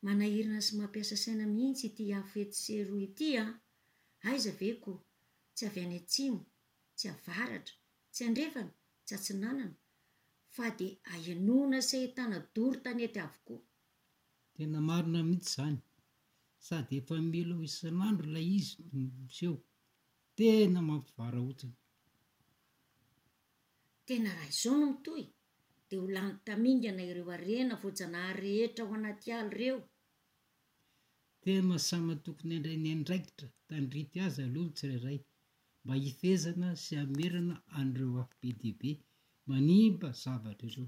Manahirana sy mampiasa saina mihitsy ity afo etsy sy eroa ity an! Aiza ve ko! Tsy avy any atsimo, tsy avaratra, tsy andrefana, tsy atsinanana, fa dia ahenoana sy ahitana doro tanety avokoa. Tena marina mihitsy izany. Sady efa mila ho isan'andro ilay izy no miseho. Tena mampivarahontsana. Tena raha izao no mitohy dia ho lany tamingana ireo harena voajanahary rehetra ao anaty ala ireo. Tena samy tokony handray ny andraikitra tandrify azy aloha ny tsirairay mba hifehezana sy hamerana an'ireo afo be dia be manimba zavatra ireo.